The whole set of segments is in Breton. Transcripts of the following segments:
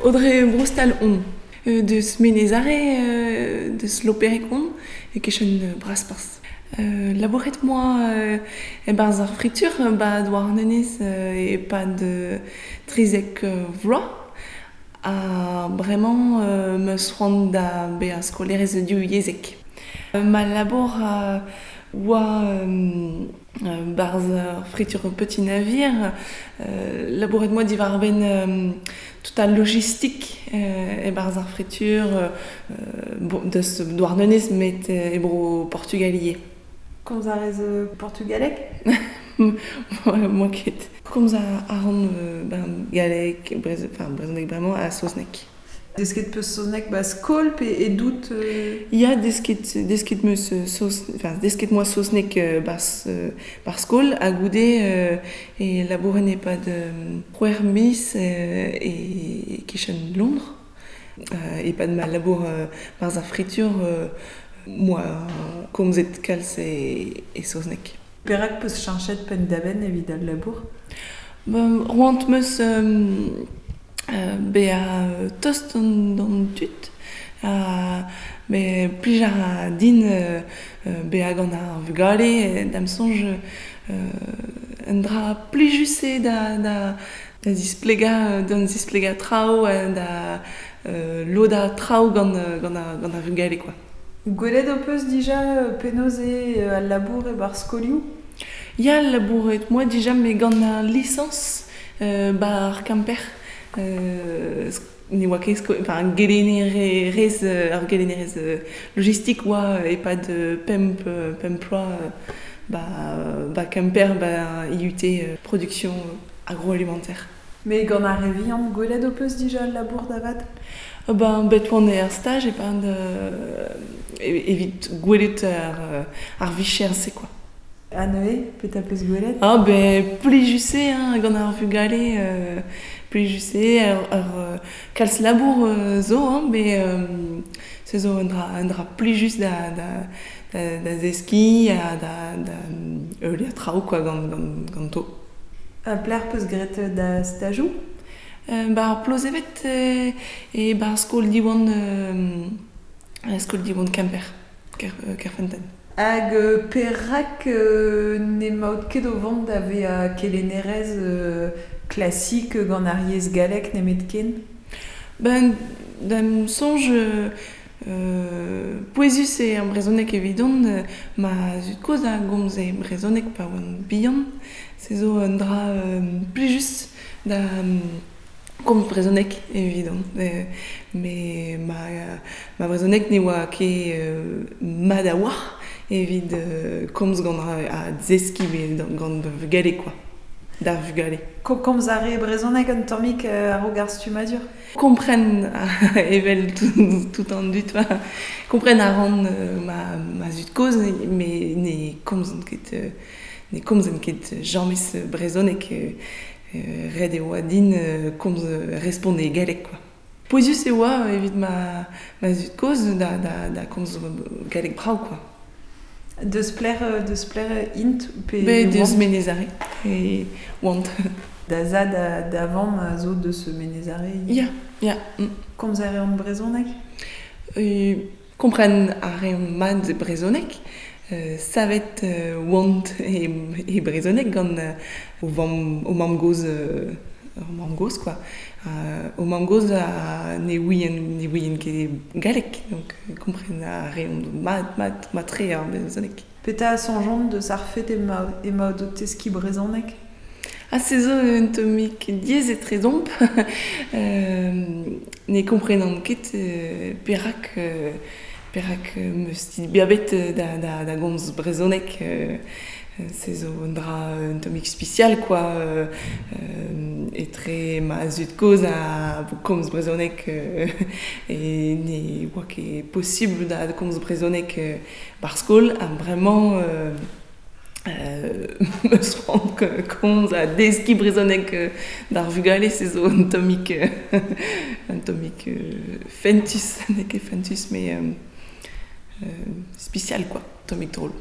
Audrey Broustal on. Deus Menez Are, deus Loperek on, e-kichen Brasparzh. Labouret 'moa e-barzh ar fritur 'ba Douarnenez e-pad 13 vloaz. Ha bremañ 'm eus c'hoant da bezañ skolaerez divyezhek. Ma labour oa 'barzh ar fritur Petit Navire. Labouret 'moa diwar-benn tout al logistik e-barzh ar fritur deus Douarnenez met e bro Portugal ivez. Komz a rez portugaleg? 'Moa ket. Komz a ran ben galleg, enfin brezhoneg bremañ ha saozneg. Desket 'peus saozneg 'ba skol pe edout Ya, desket 'meus saoz, enfin desket 'moa saozneg 'barzh 'barzh skol ha goude e labouren e-pad c'hwec'h miz e-kichen Londres. E-pad ma labour 'barzh ar fritur 'moa komzet kalz e saozneg. Perak 'peus cheñchet penn-da-benn evit al labour? Ben, roant 'meus bezañ tost d'an tud ha me plij a ra din bezañ gant ar vugale da'm soñj un dra plijus eo da zisplegañ da zisplegañ traoù da lodañ traoù gant gant ar vugale quoi. Gwelet ho peus dija penaos eo al labour e-barzh skolioù? Ya, labouret 'moa dija met gant al lisañs 'ba ar Kemper. Ne oa ket enfin gelennerez ur gelennerez logistik oa e-pad pemp pemp ploaz 'ba Kemper 'ba IUT production agroalimentaire. Met gant ar re vihan, gwelet ho peus dija al labour da vat? Ben bet oan er staj e-pad evit gwelet ar vicher-se quoi. Ha neuze, petra 'peus gwelet? Ah ben plijus eo hein, gant ar vugale plijus eo ur kalz labour zo hein, met se zo un dra plijus da zeskiñ ha da heuliañ traoù quoi ganto. Ha pelec'h 'peus graet da stajoù? 'Ba ar Plozeved e-barzh skol Diwan skol Diwan Kemper, Kerfeunteun. Hag perak n'emaout ket o vont da vezañ kelennerez klasik gant ar yezh gallek nemetken? Ben, da'm soñj pouezus eo ar brezhoneg evidon. Ma zud-kozh a gomze brezhoneg pa oan bihan. Se zo un dra plijus da komz brezhoneg evidon. Met ma brezhoneg ne oa ket mat a-walc'h evit komz gant ha deskiñ gant vugale quoi, d'ar vugale. Komz a rez brezhoneg un tammig a-raok ar stummadur? Kompren evel tout an dud, kompren a ran ma zud-kozh met ne komzont ket ne komzen ket james brezhoneg. Ret e oa din komz respont e galleg quoi. Pouezus e oa evit ma zud-kozh da komz galleg brav quoi. Deus pelec'h int pe Bet deus Menez Are e oant. Da zad ha da vamm a zo deus Menez Are? Ya, ya. Komz a reont brezhoneg? Kompren a reont mat brezhoneg. Savet oant e brezhoneg gant o vamm o mamm-gozh o mamm-gozh quoi. O mamm-gozh ne ouient ket galleg donc kompren a reont mat mat mat-tre ar brezhoneg. Petra a soñjont deus ar fet emaout o teskiñ brezhoneg? Ha se zo un tammig diaes etrezomp. Ne komprenan ket perak perak 'meus dibabet da gomz brezhoneg. Se zo un dra un tammig spesial quoi. Etre ma zud-kozh a komz brezhoneg e ne oa ket posubl da komz brezhoneg 'barzh skol ha bremañ 'meus c'hoant komz ha deskiñ brezhoneg d'ar vugale se zo un tammig un tammig fentus, n'eo ket fentus met spesial quoi, tammig drol.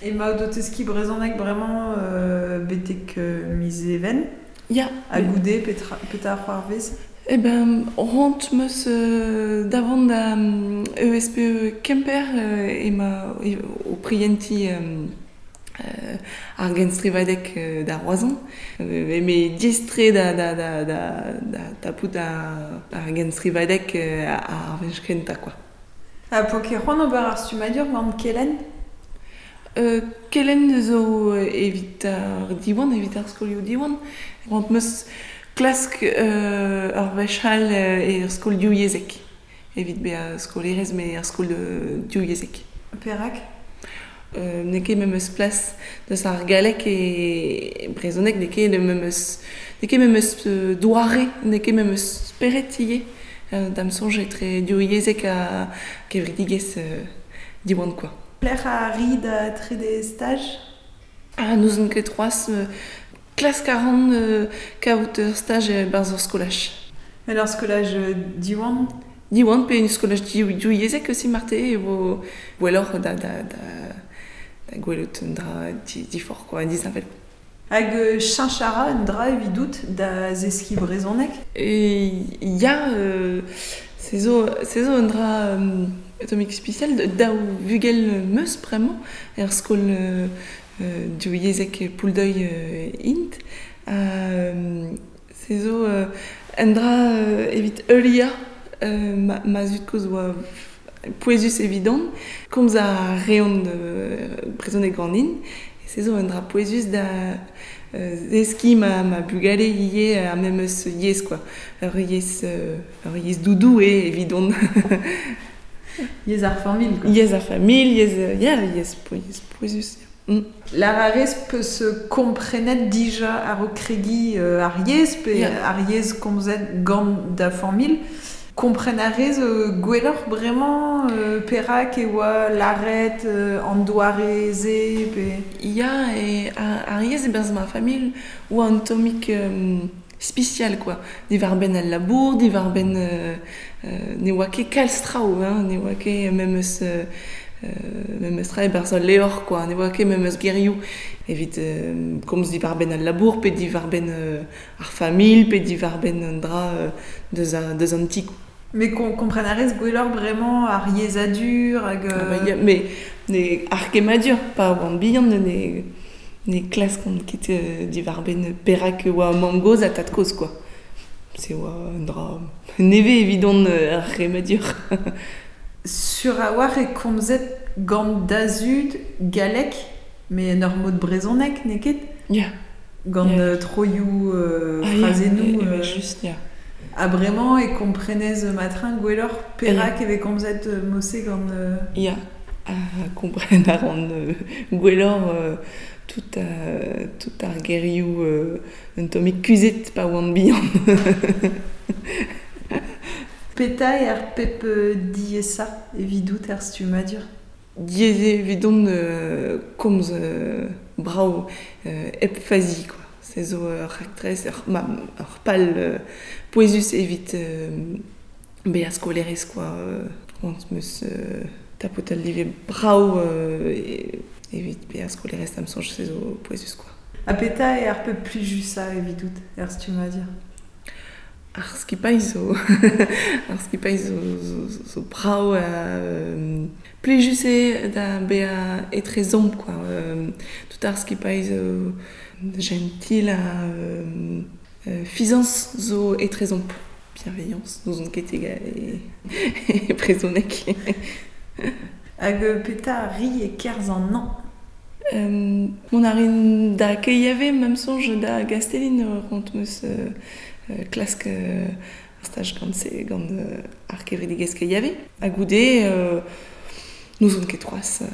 Emaout o teskiñ brezhoneg bremañ betek miz Even? Ya. Ha goude petra c'hoarvez? Eh ben, c'hoant 'meus da vont da ESPE Kemper ema o prientiñ ar genstrivadeg da Roazhon. Eme diaes-tre da da da da da tapout ar genstrivadeg ar wech kentañ kwa. Ha poa ket c'hoant ober ar stummadur gant Kelenn? Kelenn zo evit ar Diwan, evit ar skolioù Diwan. C'hoant 'meus klask ur wech all er skol divyezhek evit bezañ skolaerez met er skol divyezhek. Perak? N'eo ket memes plas deus ar galleg e brezhoneg, n'eo ket memes n'eo ket memes doare, n'eo ket memes spered ivez. Da'm soñj etre divyezhek ha kevredigezh Diwan kwa. Pelec'h a ri da trede staj? Ah, n'ouzon ket c'hoazh. Klask a ran kaout ur staj e-barzh ur skolaj. Met ur skolaj Diwan? Diwan pe un skolaj divyezhek aussi marteze e vo gwelloc'h da da da da gwelout un dra diforc'h quoi, disheñvel. Hag cheñch a ra un dra evidout da zeskiñ brezhoneg? Ya, se zo se zo un dra tammig spesial. Daou vugel 'meus bremañ er skol divyezhek Pouldeuil int. Ha se zo un dra evit heuliañ ma ma zud-kozh oa pouezus evidon. Komz a reont brezhoneg ganin. Se zo un dra pouezus da zeskiñ ma ma bugale ivez ar memes yezh kwa. Ur yezh ur yezh doudou eo evidon. Yezh ar familh quoi. Yezh ar familh, yezh ya, yezh yezh pouezus. Lar a rez 'peus komprenet dija a-raok kregiñ ar yezh pe ar yezh komzet gant da familh. Kompren a rez gwelloc'h bremañ perak e oa lâret an doare-se pe... Ya, e ar yezh e-barzh ma familh oa un tammig spesial kwa. Diwar-benn al labour, diwar-benn ne oa ket kalz traoù hein, ne oa ket memes memes tra e-barzh al levr kwa, ne oa ket memes gerioù evit komz diwar-benn al labour pe diwar-benn ar familh pe diwar-benn un dra deus deus an ti. Mais kompren a rez gwelloc'h bremañ ar yezhadur hag... Ah bah ya, mais ne ar kemmadur pa oan bihan ne ne klaskont ket diwar-benn perak e oa mamm-gozh ha tad-kozh kwa. Se oa un dra nevez evidon ar c'hemmadur. Sur a-walc'h e komzet gant da zud galleg, met en ur mod brezhonek, n'eo ket? Ya. Gant troioù, frazennoù... Ah, just, ya. Ha bremañ e komprenez matreñ gwelloc'h perak e vez komzet mod-se gant... Ya, ha kompren a ran gwelloc'h tout, tout ar gerioù un tammig kuzhet pa oan bihan. Petra eo ar pep diaesañ evidout er stummadur? Diaes eo evidon komz brav hep fazi kwa. Se zo ur raktres, ur pal pouezus evit bezañ skolaerez kwa. C'hoant 'm eus tapout al live brav evit bezañ skolaerez da'm soñj se zo pouezus kwa. Ha petra eo ar pep plijusañ evidout er stummadur? Ar skipailh zo ar skipailh zo zo brav ha plijus eo da bezañ etrezomp kwa. Tout ar skipailh zo jentil ha fiziañs zo etrezomp. Bienveillance, n'ouzon ket e brezhoneg. Hag petra a ri e-kerzh an hañv? Mont a rin da KIAV ma'm soñj da Gastellin c'hoant 'm eus klask ur staj gant se gant ar gevredigezh KIAV. Ha goude n'ouzon ket c'hoazh.